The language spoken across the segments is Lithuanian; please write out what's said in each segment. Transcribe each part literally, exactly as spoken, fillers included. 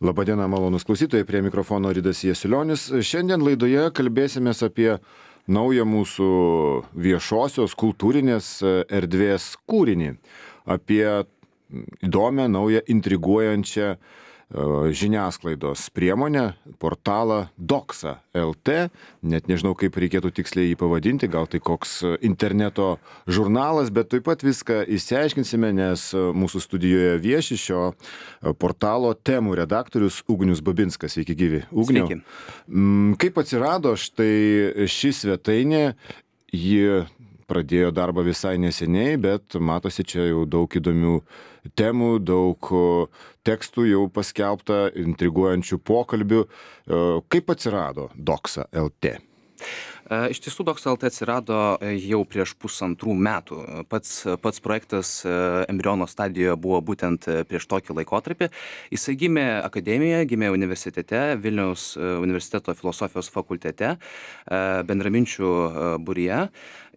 Labadiena, malonus klausytojai, prie mikrofono Ridas Jasilionis. Šiandien laidoje kalbėsimės apie naują mūsų viešosios kultūrinės erdvės kūrinį, apie įdomią, naują, intriguojančią žiniasklaidos priemonę, portalą Doxa L T, net nežinau, kaip reikėtų tiksliai jį pavadinti, gal tai koks interneto žurnalas, bet taip pat viską išsiaiškinsime, nes mūsų studijoje vieši šio portalo temų redaktorius Ugnius Babinskas. Sveiki gyvi. Ugniau. Sveiki. Kaip atsirado štai ši svetainė, ji pradėjo darbą visai neseniai, bet matosi čia jau daug įdomių temų, daug tekstų jau paskelbta, intriguojančių pokalbių. Kaip atsirado Doxa L T? Iš tiesų, Doxa L T atsirado jau prieš pusantrų metų. Pats, pats projektas embriono stadijoje buvo būtent prieš tokį laikotarpį. Jisai gimė akademijoje, gimė universitete, Vilniaus universiteto filosofijos fakultete, bendraminčių būryje.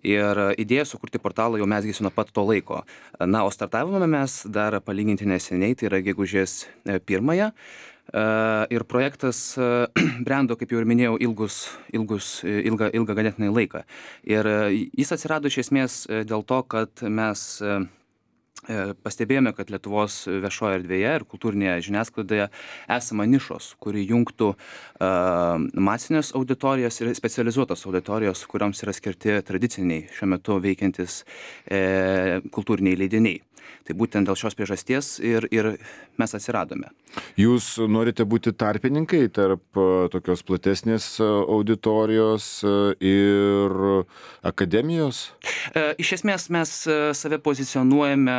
Ir idėja sukurti portalą jau mesgėsi nuo pat to laiko. Na, o startavome mes dar palyginti neseniai, tai yra gegužės pirmąją. Ir projektas brendo, kaip jau ir minėjau, ilgus, ilgus, ilgą, ilgą ganėtinai laiką. Ir jis atsirado iš esmės dėl to, kad mes pastebėjome, kad Lietuvos viešoje erdvėje ir kultūrinėje žiniasklaidoje esama nišos, kuri jungtų uh, masinės auditorijos ir specializuotos auditorijos, kuriams yra skirti tradiciniai šiuo metu veikiantis e, kultūriniai leidiniai. Tai būtent dėl šios priežasties ir, ir mes atsiradome. Jūs norite būti tarpininkai tarp tokios platesnės auditorijos ir akademijos? Iš esmės mes save pozicionuojame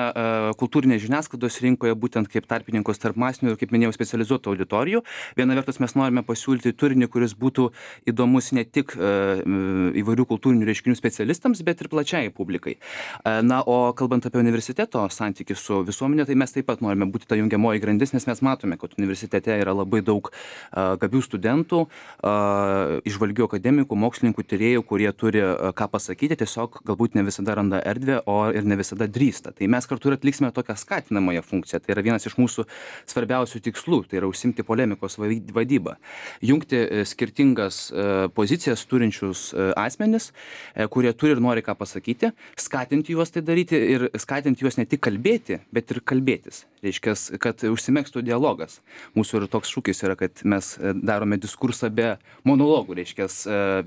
kultūrinės žiniasklaidos rinkoje būtent kaip tarpininkus tarp masinių ir, kaip minėjau, specializuotų auditorijų. Viena vertus mes norime pasiūlyti turinį, kuris būtų įdomus ne tik įvairių kultūrinių reiškinių specialistams, bet ir plačiai publikai. Na, o kalbant apie universiteto santykį su visuomenė, tai mes taip pat norime būti ta jungiamoji grandis, nes mes matome, kad universitete yra labai daug uh, gabių studentų, uh, išvalgių akademikų, mokslininkų, tyrėjų, kurie turi uh, ką pasakyti, tiesiog galbūt ne visada randa erdvę, o ir ne visada drįsta. Tai mes kartu ir atliksime tokią skatinamąją funkciją. Tai yra vienas iš mūsų svarbiausių tikslų, tai yra užsimti polemikos vadybą. Jungti uh, skirtingas uh, pozicijas turinčius uh, asmenis, uh, kurie turi ir nori ką pasakyti, skatinti juos tai daryti ir skatinti juos ne tik kalbėti, bet ir kalbėtis. Reiškia, kad užsimegztų dialogas. Mūsų ir toks šūkis yra, kad mes darome diskursą be monologų, reiškia,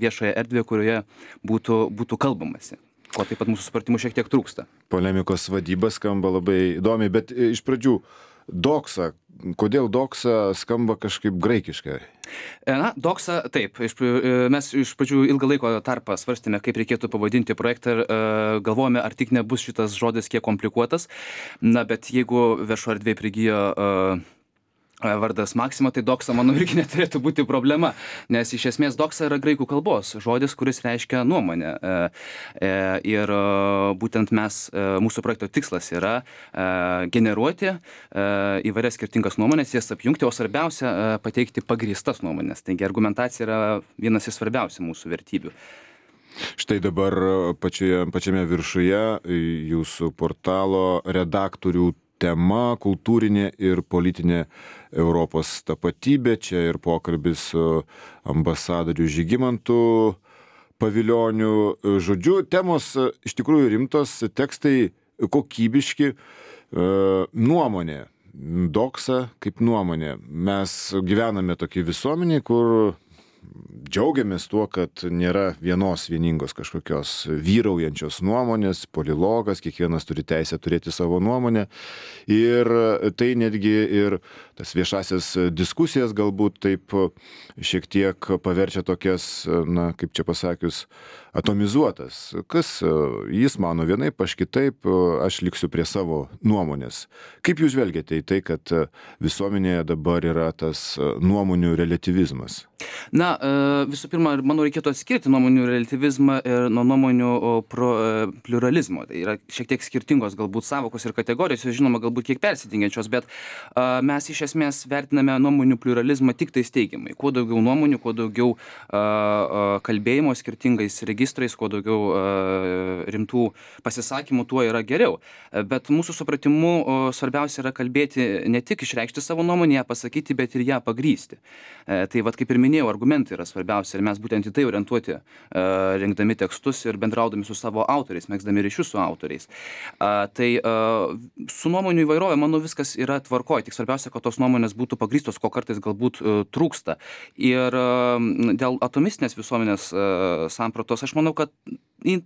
viešoje erdvėje, kurioje būtų, būtų kalbamasi. Ko taip pat mūsų supratimų šiek tiek trūksta. Polemikos vadyba skamba labai įdomiai, bet iš pradžių Doxa. Kodėl Doxa skamba kažkaip graikiškai? Na, Doxa, taip. Iš, mes iš pradžių ilgą laiko tarpą svarstėme, kaip reikėtų pavadinti projektą ir uh, galvojame, ar tik nebus šitas žodis kiek komplikuotas. Na, bet jeigu viešo erdvėje prigijo uh, vardas Maxima, tai Doxa, manau, irgi neturėtų būti problema, nes iš esmės Doxa yra graikų kalbos žodis, kuris reiškia nuomonę. Ir būtent mes, mūsų projekto tikslas yra generuoti įvairias skirtingas nuomonės, jas apjungti, o svarbiausia pateikti pagrįstas nuomonės. Taigi argumentacija yra vienas iš svarbiausių mūsų vertybių. Štai dabar pačioje, pačiame viršuje jūsų portalo redaktorių tema - kultūrinė ir politinė Europos tapatybė. Čia ir pokalbis su ambasadoriu Žygimantu Pavilioniu. Žodžiu, temos iš tikrųjų rimtos, tekstai kokybiški, nuomonė. Doxa kaip nuomonė. Mes gyvename tokį visuomenį, kur džiaugiamės tuo, kad nėra vienos vieningos kažkokios vyraujančios nuomonės, polilogas, kiekvienas turi teisę turėti savo nuomonę. Ir tai netgi ir tas viešasias diskusijas galbūt taip šiek tiek paverčia tokias, na, kaip čia pasakius, atomizuotas. Kas jis mano vienaip, aš kitaip, aš liksiu prie savo nuomonės. Kaip jūs žvelgiate į tai, kad visuomenėje dabar yra tas nuomonių relativizmas? Na, visų pirma, manau, reikėtų atskirti nuomonių relativizmą ir nuo nuomonių pro, pluralizmo. Tai yra šiek tiek skirtingos galbūt savokos ir kategorijos, žinoma, galbūt kiek persidengiančios, bet a, mes iš esmės vertiname nuomonių pluralizmą tik tai teigiamai. Kuo daugiau nuomonių, kuo daugiau a, a, kalbėjimo skirtingais registrais, kuo daugiau a, rimtų pasisakymų, tuo yra geriau. Bet mūsų supratimu o, svarbiausia yra kalbėti ne tik išreikšti savo nuomonę, ją pasakyti, bet ir ją pagrysti. E, tai vad, kaip ir minėjau, argumentai yra svarbiausia ir mes būtent į tai orientuoti, uh, rengdami tekstus ir bendraudami su savo autoriais, megzdami ryšius su autoriais. Uh, tai uh, su nuomonių įvairovė, manau, viskas yra tvarkoj, tik svarbiausia, kad tos nuomonės būtų pagrįstos, ko kartais galbūt uh, trūksta. Ir uh, dėl atomistinės visuomenės uh, sampratos, aš manau, kad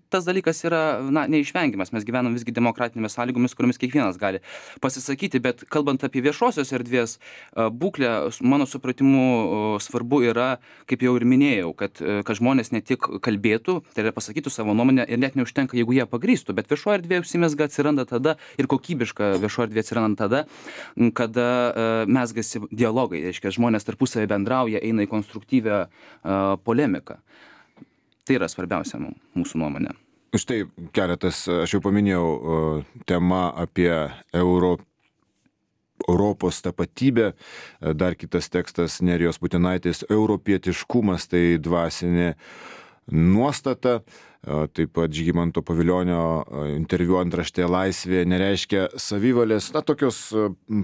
tas dalykas yra, na, neišvengiamas. Mes gyvenam visgi demokratinėmis sąlygomis, kuriomis kiekvienas gali pasisakyti, bet kalbant apie viešosios erdvės uh, būklę, mano supratimu uh, svarbu yra, kaip jau ir minėjau, kad, kad žmonės ne tik kalbėtų, tai yra pasakytų savo nuomonę ir net neužtenka, jeigu jie pagrįstų, bet viešoji erdvė užsimezga atsiranda tada ir kokybiška viešoji erdvė atsiranda tada, kada uh, mezgasi dialogai, reiškia, žmonės tarpusavį bendrauja, eina į konstruktyvę uh, polemiką. Tai yra svarbiausia mūsų nuomonė. Štai keletas, aš jau paminėjau, uh, tema apie Euro Europos tapatybė, dar kitas tekstas Nerijos Putinaitės europietiškumas, tai dvasinė nuostata, taip pat Žygimanto Pavilionio interviu antraštė laisvė nereiškia savivalės, na, tokios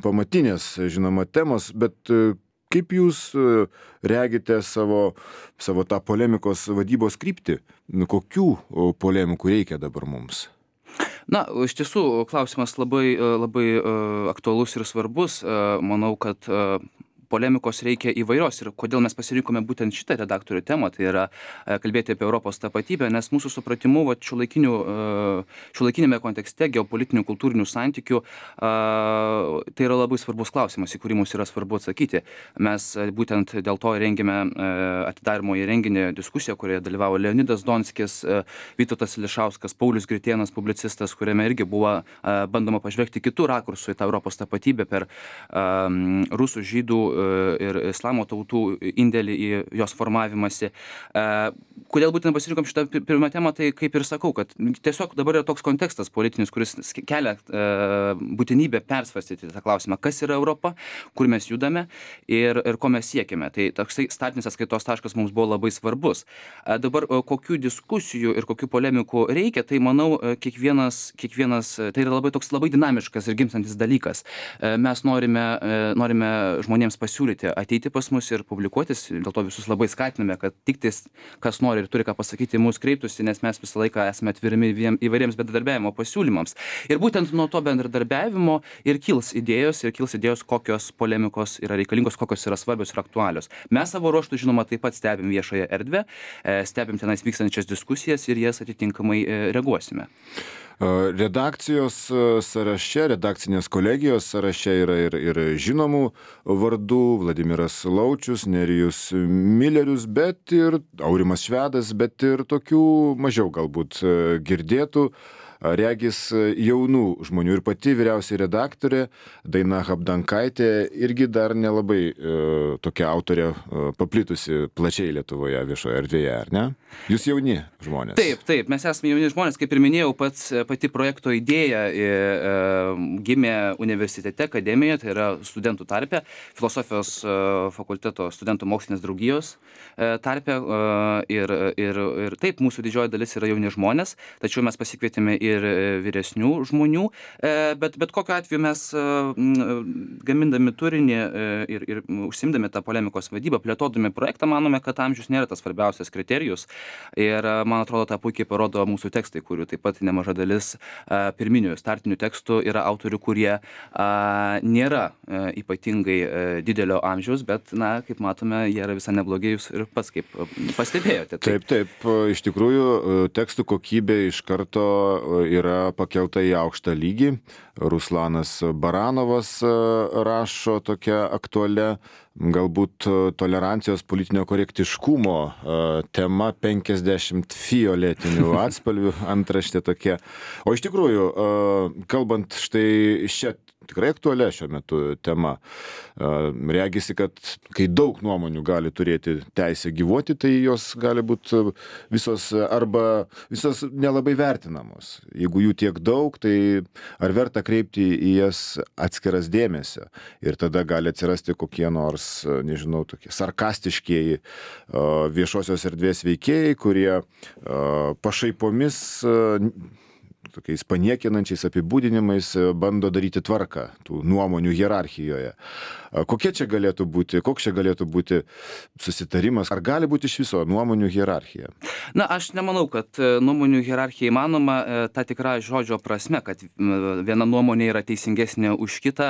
pamatinės, žinoma, temos, bet kaip jūs regite savo, savo tą polemikos vadybos kryptį? Kokių polemikų reikia dabar mums? Na, iš tiesų, klausimas labai, labai aktualus ir svarbus. Manau, kad polemikos reikia įvairios ir kodėl mes pasirinkome būtent šitą redaktorių temą, tai yra kalbėti apie Europos tapatybę, nes mūsų supratimu, va, šiuolaikinėme kontekste geopolitinių kultūrinių santykių tai yra labai svarbus klausimas, į kurį mums yra svarbu atsakyti. Mes būtent dėl to rengėme atidarimo į renginį diskusiją, kurioje dalyvavo Leonidas Donskis, Vytautas Ališauskas, Paulius Gritėnas, publicistas, kuriame irgi buvo bandoma pažvelgti kitų rakursų į tą Europos tapatybę per rusų, žydų ir islamo tautų indėlį į jos formavimąsi. Kodėl būtent pasirinkom šitą pirmą temą, tai kaip ir sakau, kad tiesiog dabar yra toks kontekstas politinis, kuris kelia būtinybę persvarstyti tą klausimą, kas yra Europa, kur mes judame ir, ir ko mes siekime. Tai toksai startinis atskaitos taškas mums buvo labai svarbus. Dabar kokių diskusijų ir kokių polemikų reikia, tai manau, kiekvienas, kiekvienas tai yra labai toks labai dinamiškas ir gimstantis dalykas. Mes norime, norime žmonėms pasiūlyti ateiti pas mus ir publikuotis, dėl to visus labai skatiname, kad tik tais, kas nori ir turi ką pasakyti, mūsų kreiptųsi, nes mes visą laiką esame atvirimi įvairiems bendradarbiavimo pasiūlymams. Ir būtent nuo to bendradarbiavimo ir kils idėjos, ir kils idėjos, kokios polemikos yra reikalingos, kokios yra svarbios ir aktualios. Mes savo ruoštų, žinoma, taip pat stebim viešąją erdvę, stebim tenais vykstančias diskusijas ir jas atitinkamai reaguosime. Redakcijos sąraše, redakcinės kolegijos sąraše yra ir, ir žinomų vardų, Vladimiras Laučius, Nerijus Millerius, bet ir Aurimas Švedas, bet ir tokių mažiau galbūt girdėtų, regis jaunų žmonių. Ir pati vyriausiai redaktorė Daina Habdankaitė irgi dar nelabai e, tokia autorė e, paplitusi plačiai Lietuvoje viešoje erdvėje, ar ne? Jūs jauni žmonės. Taip, taip, mes esame jauni žmonės, kaip ir minėjau, pats pati projekto idėja e, e, gimė universitete, akademijoje, tai yra studentų tarpe, filosofijos e, fakulteto studentų mokslinės draugijos e, tarpe e, ir, ir, ir taip, mūsų didžioji dalis yra jauni žmonės, tačiau mes pasikvietėme ir ir vyresnių žmonių, bet, bet kokiu atveju mes gamindami turinį ir, ir užsimdami tą polemikos vadybą, plėtodami projektą, manome, kad amžius nėra tas svarbiausias kriterijus ir man atrodo, tą puikiai parodo mūsų tekstai, kurių taip pat nemaža dalis pirminių startinių tekstų yra autorių, kurie nėra ypatingai didelio amžiaus, bet, na, kaip matome, jie yra visai neblogi, jūs ir pats kaip pastebėjote. Taip, taip, iš tikrųjų tekstų kokybė iš karto yra pakelta į aukštą lygį. Ruslanas Baranovas rašo tokia aktualia, galbūt tolerancijos politinio korektiškumo tema penkiasdešimt fioletinių atspalvių, antraštė tokia. O iš tikrųjų, kalbant štai šią tikrai aktualia šiuo metu tema. Regisi, kad kai daug nuomonių gali turėti teisę gyvuoti, tai jos gali būti visos arba visos nelabai vertinamos. Jeigu jų tiek daug, tai ar verta kreipti į jas atskiras dėmesio? Ir tada gali atsirasti kokie nors, nežinau, tokie sarkastiškieji viešosios erdvės veikėjai, kurie pašaipomis, tokiais paniekinančiais apibūdinimais bando daryti tvarką tų nuomonių hierarchijoje. Kokie čia galėtų būti, koks čia galėtų būti susitarimas? Ar gali būti iš viso nuomonių hierarchija? Na, aš nemanau, kad nuomonių hierarchija įmanoma ta tikra žodžio prasme, kad viena nuomonė yra teisingesnė už kitą.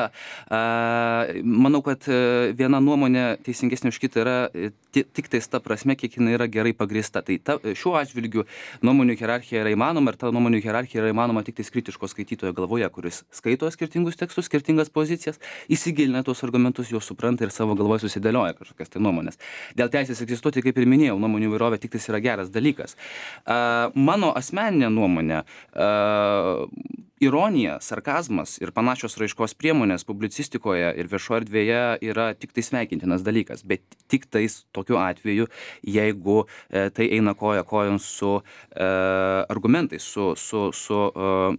Manau, kad viena nuomonė teisingesnė už kitą yra tik tais ta prasme, kiek jinai yra gerai pagrįsta. Tai ta, šiuo atžvilgiu nuomonių hierarchija yra įmanoma ir ta nuomonių hierarchija yra įmanoma tik tais kritiško skaitytojo galvoje, kuris skaito skirtingus tekstus, skirtingas pozicijas, įsigilina tuos argumentus, juos supranta ir savo galvoje susidėlioja kažkokias tai nuomonės. Dėl teisės egzistuoti, kaip ir minėjau, nuomonių įvairovė tik tais yra geras dalykas. Mano asmeninė nuomonė, ironija, sarkazmas ir panašios raiškos priemonės publicistikoje ir viešoje erdvėje yra tik tai sveikintinas dalykas, bet tik tais tokiu atveju, jeigu tai eina koja kojon su argumentais, su, su, su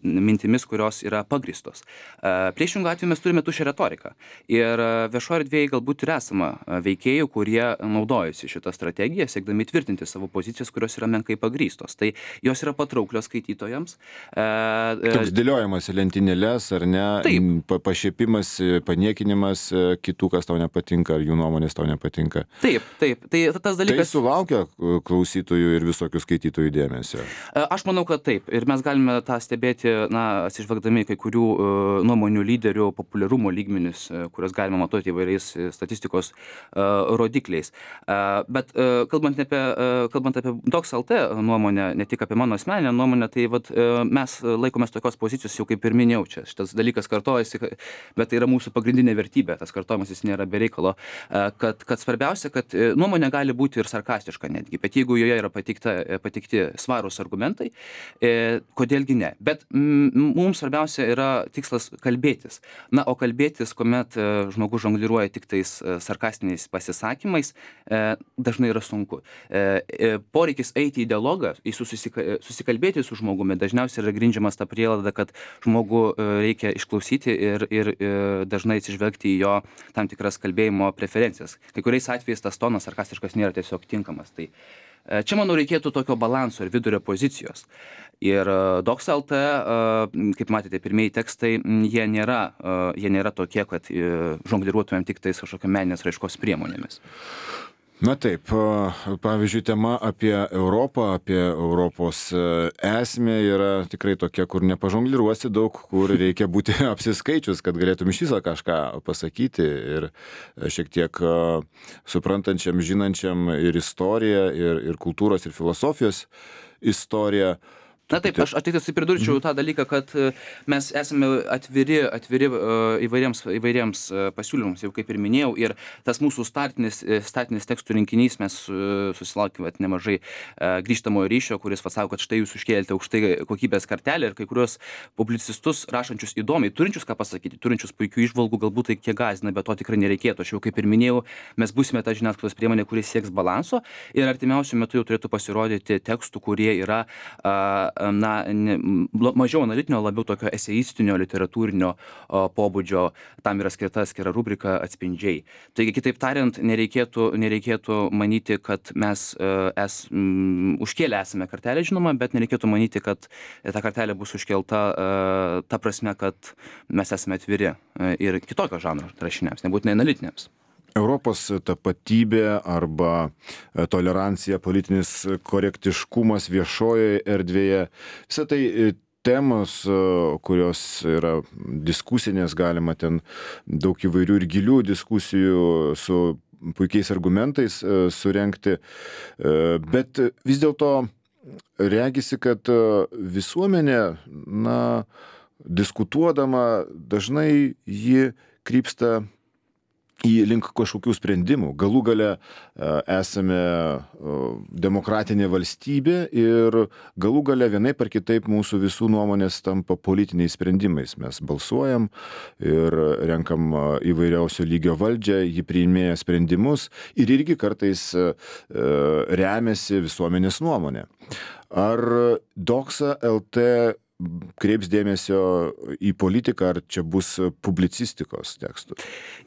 mintimis, kurios yra pagristos. Priešingų atveju mes turime tuščią retoriką. Ir viešoje erdvėje galbūt ir esama veikėjų, kurie naudojasi šitą strategiją, siekdami tvirtinti savo pozicijas, kurios yra menkai pagrįstos. Tai jos yra patrauklios skaitytojams. Toks dėliojimas į lentynėles, ar ne? Taip. Pašiepimas, paniekinimas kitų, kas tau nepatinka, ar jų nuomonės tau nepatinka. Taip, taip. Tai tas dalykas... Tai sulaukia klausytojų ir visokių skaitytojų dėmesio. Aš manau, kad taip. Ir mes galime tą stebėti, na, atsižvelgdami kai kurių uh, nuomonių lyderių populiarumo lygmenis, uh, kurios galima matuoti įvairiais statistikos uh, rodikliais. Uh, bet uh, kalbant apie, uh, kalbant apie Docs L T nuomonę, ne tik apie mano asmeninę nuomonę, tai vat, uh, mes laikomės tokios pozicijos, jau kaip ir minėjau, čia šitas dalykas kartojasi, bet tai yra mūsų pagrindinė vertybė, tas kartojimas jis nėra be reikalo, uh, kad, kad svarbiausia, kad nuomonė gali būti ir sarkastiška netgi, bet jeigu joje yra patikta, patikti svarūs argumentai, uh, kodėlgi ne. Bet mm, mums svarbiausia yra tikslas kalbėtis. Na, o kalbėtis, kuomet uh, žmogus žongliruoja tik tais uh, sarkastiniais pasisakymais, uh, dažnai yra sunku. Uh, uh, poreikis eiti į dialogą, į susika, susikalbėti su žmogumi, dažniausiai yra grindžiamas ta prielaida, kad žmogų uh, reikia išklausyti ir, ir uh, dažnai atsižvelgti į jo tam tikras kalbėjimo preferencijas. Kai kuriais atvejais tas tonas sarkastiškas nėra tiesiog tinkamas. Tai uh, čia, manau, reikėtų tokio balanso ir vidurio pozicijos. Ir Docs L T, kaip matėte, pirmieji tekstai, jie nėra, jie nėra tokie, kad žongliruotumėm tik tais kažkokio meninės raiškos priemonėmis. Na taip, pavyzdžiui, tema apie Europą, apie Europos esmę yra tikrai tokia, kur nepažongliruosi daug, kur reikia būti apsiskaičius, kad galėtum iš viso kažką pasakyti ir šiek tiek suprantančiam, žinančiam ir istoriją, ir, ir kultūros, ir filosofijos istoriją. Na taip, aš tik tai pridurčiau tą dalyką, kad mes esame atviri, atviri įvairiems, įvairiems pasiūlymams, jau kaip ir minėjau, ir tas mūsų startinis, startinis tekstų rinkinys, mes susilaukėme nemažai grįžtamojo ryšio, kuris pasako, kad štai jūs užkėlėte aukštai kokybės kartelę ir kai kurios publicistus rašančius įdomiai, turinčius ką pasakyti, turinčius puikių įžvalgų, galbūt tai kiek gąsdina, bet to tikrai nereikėtų. Aš jau kaip ir minėjau, mes būsime ta žiniasklaidos priemonė, kuris sieks balanso ir artimiausiu metu jau turėtų pasirodyti tekstų, kurie yra na, ne, mažiau analitinio, labiau tokio eseistinio, literatūrinio o, pobūdžio, tam yra skirta skira rubrika atspindžiai. Taigi, kitaip tariant, nereikėtų, nereikėtų manyti, kad mes uh, es, um, užkėlę esame kartelę, žinoma, bet nereikėtų manyti, kad ta kartelė bus užkelta uh, ta prasme, kad mes esame atviri uh, ir kitokio žanro rašiniams, nebūtinai analitiniams. Europos tapatybė arba tolerancija, politinis korektiškumas viešojoje erdvėje. Visą tai temos, kurios yra diskusinės, galima ten daug įvairių ir gilių diskusijų su puikiais argumentais surengti. Bet vis dėlto regisi, kad visuomenė, na, diskutuodama dažnai ji krypsta į link kažkokių sprendimų. Galų gale esame demokratinė valstybė ir galų gale vienaip ar kitaip mūsų visų nuomonės tampa politiniais sprendimais. Mes balsuojam ir renkam įvairiausio lygio valdžią, ji priiminėja sprendimus ir irgi kartais remiasi visuomenės nuomonė. Ar Doxa L T kreips dėmesio į politiką, ar čia bus publicistikos tekstų?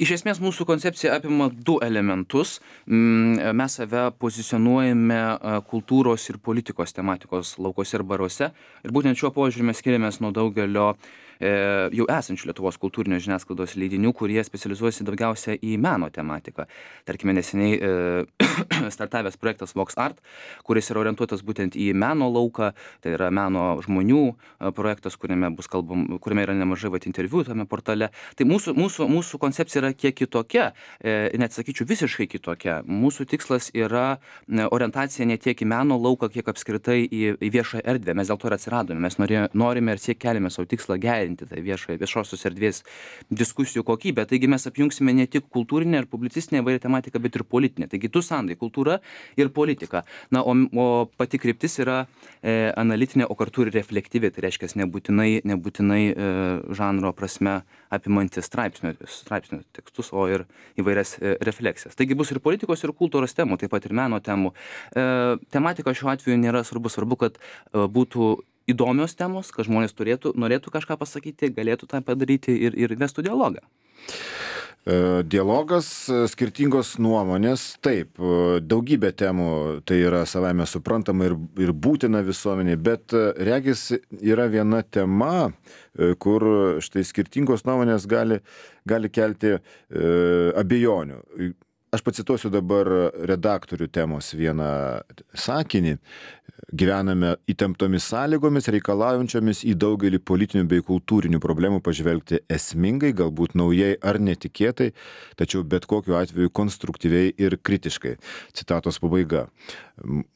Iš esmės mūsų koncepcija apima du elementus. Mes save pozicionuojame kultūros ir politikos tematikos laukose ir baruose. Ir būtent šiuo požiūriu mes skiriamės nuo daugelio jau esančių Lietuvos kultūrinio žiniasklaidos leidinių, kurie specializuojasi daugiausia į meno tematiką. Tarkime, neseniai startavęs projektas Vox Art, kuris yra orientuotas būtent į meno lauką, tai yra meno žmonių projektas, kuriame bus kalbam, kuriame yra nemažai vat interviu tame portale. Tai mūsų, mūsų, mūsų koncepcija yra kiek kitokia, net sakyčiau visiškai kitokia. Mūsų tikslas yra orientacija ne tiek į meno lauką, kiek apskritai į, į viešą erdvę. Mes dėl to ir atsiradome. Mes norė, norime ir siek keliame savo tikslą gerinti tai viešą, viešosios erdvės diskusijų kokybę. Taigi mes apjungsime ne tik kultūrinę ir publicistinę įvairią tematiką, bet ir politinę. Taigi du sandai - kultūra ir politika. Na, o, o pati kryptis yra e, analitinė, o kartu ir reflektyvi. Tai reiškia nebūtinai, nebūtinai e, žanro prasme apimantis straipsnių, straipsnių tekstus, o ir įvairias e, refleksijas. Taigi bus ir politikos, ir kultūros temų, taip pat ir meno temų. E, tematika šiuo atveju nėra svarbu, svarbu, kad e, būtų įdomios temos, kad žmonės turėtų, norėtų kažką pasakyti, galėtų tą padaryti ir, ir vestų dialogą. Dialogas, skirtingos nuomonės, taip, daugybė temų tai yra savaime suprantama ir, ir būtina visuomeniai, bet regis yra viena tema, kur štai skirtingos nuomonės gali, gali kelti e, abejonių. Aš pacituosiu dabar redaktorių temos vieną sakinį. Gyvename įtemptomis sąlygomis, reikalaujančiomis į daugelį politinių bei kultūrinių problemų pažvelgti esmingai, galbūt naujai ar netikėtai, tačiau bet kokiu atveju konstruktyviai ir kritiškai. Citatos pabaiga.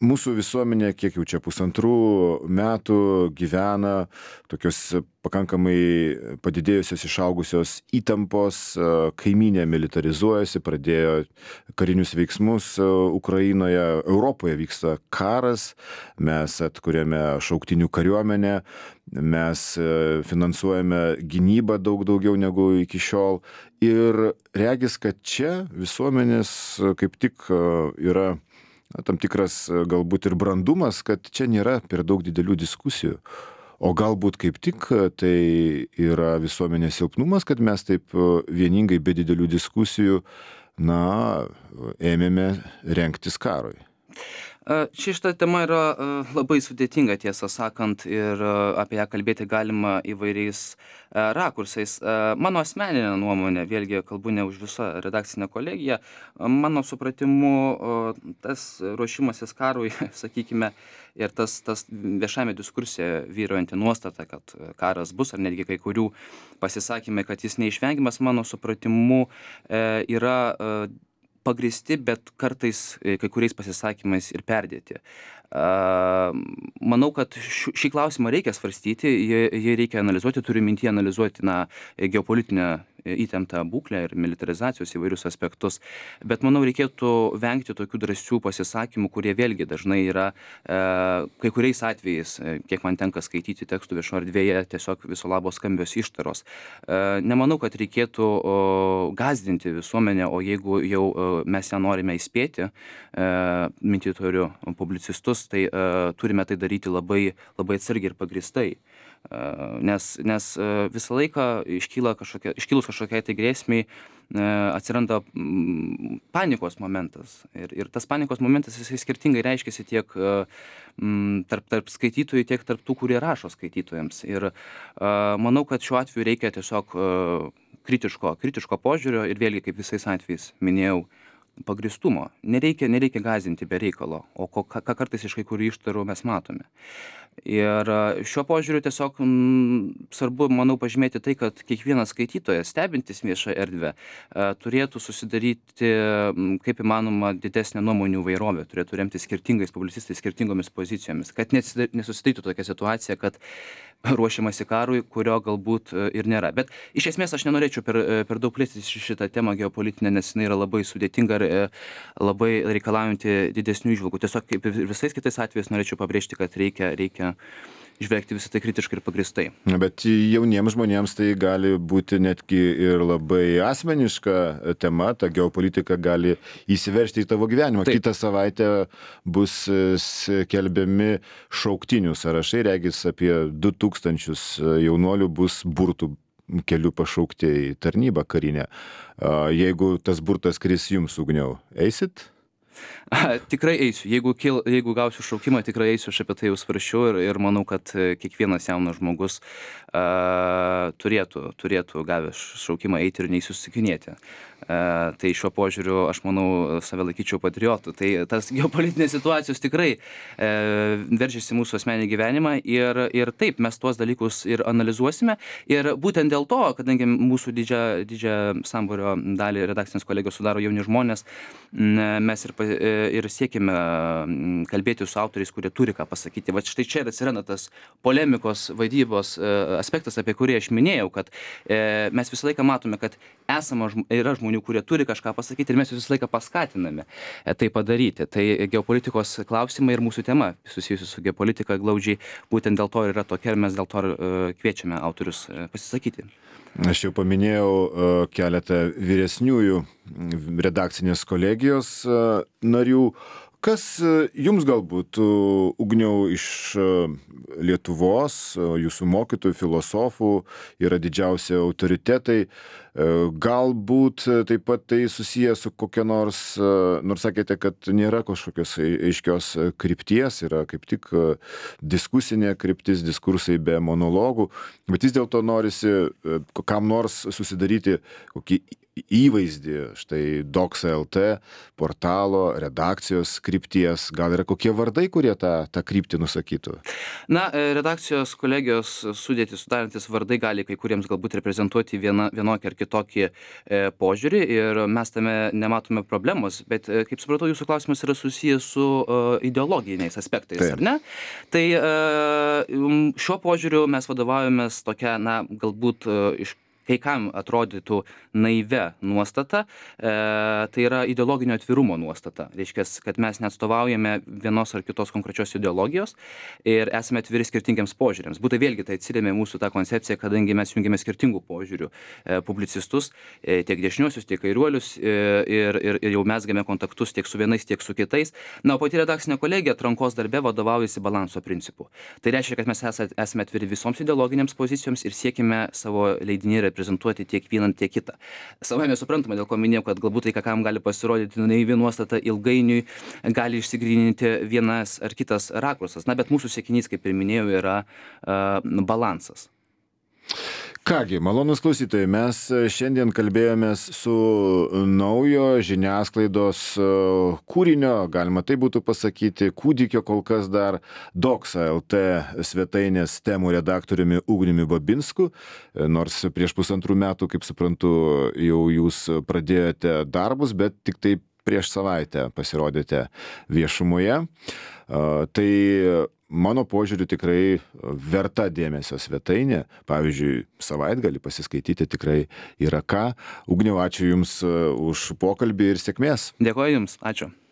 Mūsų visuomenė, kiek jau čia pusantrų metų, gyvena tokios pakankamai padidėjusios, išaugusios įtampos, kaimynė militarizuojasi, pradėjo karinius veiksmus Ukrainoje, Europoje vyksta karas, mes atkuriame šauktinių kariuomenę, mes finansuojame gynybą daug daugiau negu iki šiol ir regis, kad čia visuomenės kaip tik yra na, tam tikras galbūt ir brandumas, kad čia nėra per daug didelių diskusijų. O galbūt kaip tik tai yra visuomenės silpnumas, kad mes taip vieningai be didelių diskusijų, na, ėmėme rengtis karui. Ši šita tema yra labai sudėtinga, tiesą sakant, ir apie ją kalbėti galima įvairiais rakursais. Mano asmeninė nuomonė, vėlgi kalbu ne už visą redakcinę kolegiją, mano supratimu tas ruošimasis karui, sakykime, ir tas, tas viešame diskurse vyruojanti nuostata, kad karas bus, ar netgi kai kurių pasisakymai, kad jis neišvengiamas, mano supratimu yra pagristi, bet kartais kai kuriais pasisakymais ir perdėti. Manau, kad šį klausimą reikia svarstyti, jį reikia analizuoti, turiu mintyje analizuoti na, geopolitinę įtemptą būklę ir militarizacijos įvairius aspektus, bet manau reikėtų vengti tokių drąsių pasisakymų, kurie vėlgi dažnai yra e, kai kuriais atvejais, kiek man tenka skaityti tekstų viešo erdvėje, tiesiog viso labo skambios ištaros. E, nemanau, kad reikėtų o, gazdinti visuomenę, o jeigu jau o, mes ją norime įspėti, e, mintytorių publicistus, tai e, turime tai daryti labai, labai atsargiai ir pagristai. Nes, nes visą laiką iškyla kažkokia, iškilus kažkokiai tai grėsmiai atsiranda panikos momentas. Ir, ir tas panikos momentas jisai skirtingai reiškiasi tiek tarp, tarp skaitytojų, tiek tarp tų, kurie rašo skaitytojams. Ir manau, kad šiuo atveju reikia tiesiog kritiško, kritiško požiūrio ir vėlgi, kaip visais atvejais minėjau, pagristumo. Nereikia, nereikia gąsdinti be reikalo, o ko, ką, ką kartais iš kai kurių ištarų mes matome. Ir šiuo požiūriu tiesiog m, svarbu, manau, pažymėti tai, kad kiekvienas skaitytojas, stebintis viešą erdvę, e, turėtų susidaryti m, kaip įmanoma didesnę nuomonių vairovę, turėtų remti skirtingais publicistais, skirtingomis pozicijomis, kad nesusidarytų tokia situacija, kad ruošiamasi karui, kurio galbūt ir nėra. Bet iš esmės aš nenorėčiau per, per daug plėstis šitą temą geopolitinę, nes jinai yra labai sudėtinga ir labai reikalaujanti didesnių įžvalgų. Tiesiog kaip ir visais kitais atvejais norėčiau pabrėžti, kad reikia, reikia žvelgti visą tai kritiškai ir pagristai. Bet jauniems žmonėms tai gali būti netgi ir labai asmeniška tema, ta geopolitika gali įsiveržti į tavo gyvenimą. Taip. Kitą savaitę bus skelbiami šauktinių sąrašai, regis apie du tūkstančius jaunuolių bus burtų keliu pašaukti į tarnybą karinę. Jeigu tas burtas kris jums, Ugniau, eisit? A, tikrai eisiu. Jeigu, kil, jeigu gausiu šaukimą, tikrai eisiu, aš apie tai jau svarsčiau ir, ir manau, kad kiekvienas jaunas žmogus a, turėtų, turėtų gavęs šaukimą eiti ir neįsusikinėti. A, tai šiuo požiūriu aš manau save laikyčiau patriotu. Tai tas geopolitinės situacijos tikrai e, veržiasi mūsų asmenį gyvenimą ir, ir taip mes tuos dalykus ir analizuosime. Ir būtent dėl to, kadangi mūsų didžią, didžią sambūrio dalį redakcinės kolegijos sudaro jauni žmonės, mes ir ir siekime kalbėti su autoriais, kurie turi ką pasakyti. Va štai čia ir atsiranda tas polemikos vaidybos aspektas, apie kurį aš minėjau, kad mes visą laiką matome, kad esama yra žmonių, kurie turi kažką pasakyti ir mes visą laiką paskatiname tai padaryti. Tai geopolitikos klausimai ir mūsų tema susijusi su geopolitika glaudžiai būtent dėl to yra tokia ir mes dėl to kviečiame autorius pasisakyti. Aš jau paminėjau keletą vyresniųjų redakcinės kolegijos narių. Kas jums galbūt, Ugniau, iš Lietuvos, jūsų mokytojų, filosofų yra didžiausi autoritetai? Galbūt taip pat tai susiję su kokia nors, nors sakėte, kad nėra kažkokios aiškios krypties, yra kaip tik diskusinė kryptis, diskursai be monologų, bet vis dėlto norisi kam nors susidaryti kokį įvaizdį, štai Doxa L T, portalo, redakcijos krypties, gal yra kokie vardai, kurie tą, tą kryptį nusakytų? Na, redakcijos kolegijos sudėtį sudarantis vardai gali kai kuriems galbūt reprezentuoti viena, vienokį ar kitokį e, požiūrį ir mes tame nematome problemos, bet e, kaip supratau, jūsų klausimas yra susijęs su e, ideologiniais aspektais, Taip. Ar ne? Tai e, šiuo požiūriu mes vadovaujamės tokia, na, galbūt e, iš kai kam atrodytų naivia nuostata, e, tai yra ideologinio atvirumo nuostata. Reiškia, kad mes neatstovaujame vienos ar kitos konkrečios ideologijos ir esame atviri skirtingiams požiūriams. Būtų vėlgi tai atsirėmė mūsų tą koncepciją, kadangi mes jungiame skirtingų požiūrių e, publicistus, e, tiek dešiniuosius, tiek kairiuolius e, ir, ir, ir jau mesgame kontaktus tiek su vienais, tiek su kitais. Na, o pati redakcinė kolegija atrankos darbe vadovaujasi balanso principu. Tai reiškia, kad mes esame atviri visoms ideologinėms pozicijoms ir siekime savo leidinį reprezentuoti tiek vieną, tiek kitą. Savame suprantama, dėl ko minėjau, kad galbūt tai, ką kam gali pasirodyti naivi nuostata, ilgainiui gali išsigryninti vienas ar kitas rakursas. Na, bet mūsų siekinys, kaip ir minėjau, yra uh, balansas. Kągi, malonus klausytojai, mes šiandien kalbėjomės su naujo žiniasklaidos kūrinio, galima tai būtų pasakyti, kūdikio kol kas dar Doxa L T svetainės temų redaktoriumi Ugniumi Babinsku, nors prieš pusantrų metų, kaip suprantu, jau jūs pradėjote darbus, bet tik tai prieš savaitę pasirodėte viešumoje. Tai mano požiūriu tikrai verta dėmesio svetainė. Pavyzdžiui, savaitgalį pasiskaityti tikrai yra ką. Ugniau, ačiū Jums už pokalbį ir sėkmės. Dėkoju Jums, ačiū.